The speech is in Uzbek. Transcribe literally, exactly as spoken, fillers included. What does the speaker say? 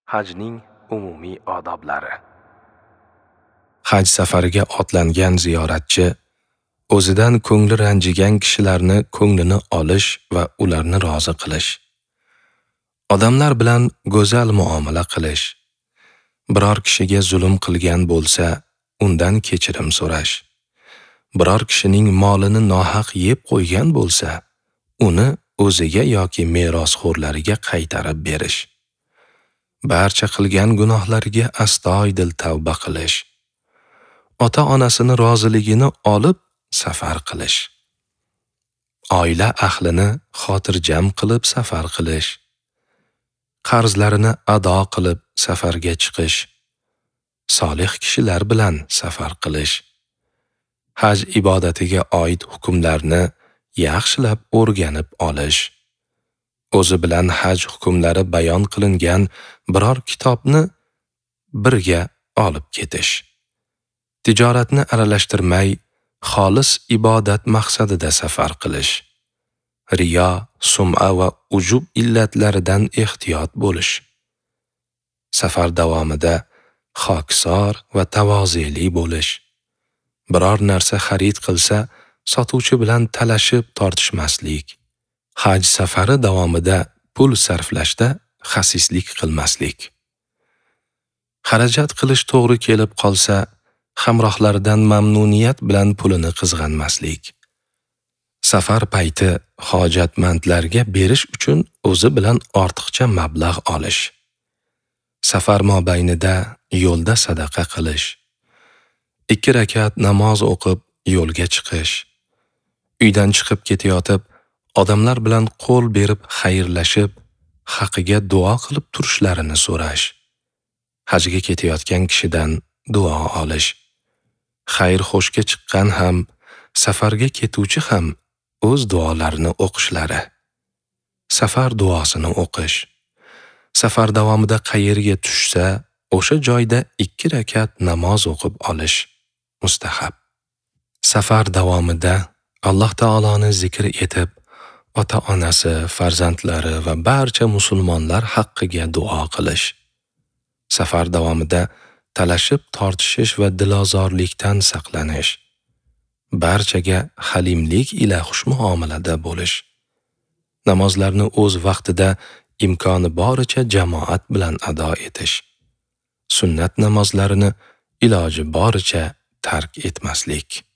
Hajning umumiy odoblari. Haj safariga otlangan ziyoratchi o'zidan ko'ngli ranjigan kishilarni ko'nglini olish va ularni rozi qilish. Odamlar bilan go'zal muomala qilish. Biror kishiga zulm qilgan bo'lsa, undan kechirim so'rash. Biror kishining molini nohaq yeb qo'ygan bo'lsa, uni o'ziga yoki merosxo'rlariga qaytarib berish. Barcha qilgan gunohlariga astoydil tavba qilish. Ota-onasini roziligini olib safar qilish. Oila ahlini xotirjam qilib safar qilish. Qarzlarini ado qilib safarga chiqish. Solih kishilar bilan safar qilish. Haj ibodatiga oid hukmlarni yaxshilab o'rganib olish. O'zi bilan haj hukmlari bayon qilingan biror kitobni birga olib ketish. Tijoratni aralashtirmay, xolis ibodat maqsadida safar qilish. Riyo, sum'a va ujub illatlaridan ehtiyot bo'lish. Safar davomida xokisor va tavozeli bo'lish. Biror narsa xarid qilsa, sotuvchi bilan talashib tortishmaslik. Haj safari davomida pul sarflashda xasislik qilmaslik. Xarajat qilish to'g'ri kelib qolsa, hamrohlaridan mamnuniyat bilan pulini qizg'anmaslik. Safar payti hojatmandlarga berish uchun o'zi bilan ortiqcha mablag' olish. Safar mobaynida yo'lda sadaqa qilish. Ikki rakat namoz o'qib yo'lga chiqish. Uydan chiqib ketayotib, odamlar bilan qo'l berib xayrlashib, haqiga duo qilib turishlarini so'rash. Hajga ketayotgan kishidan duo olish. Xayr-xo'shga chiqqan ham, safarga ketuvchi ham o'z duolarini o'qishlari. Safar duosini o'qish. Safar davomida qayerga tushsa, o'sha joyda ikki rakat namoz o'qib olish mustahab. Safar davomida Alloh taoloni zikr etib, ota-onasi, farzandlari va barcha musulmonlar haqqiga duo qilish. Safar davomida talashib tortishish va dilozorlikdan saqlanish. Barchaga halimlik ila xushmuomalada bo'lish. Namozlarni o'z vaqtida imkoni boricha jamoat bilan ado etish. Sunnat namozlarini iloji boricha tark etmaslik.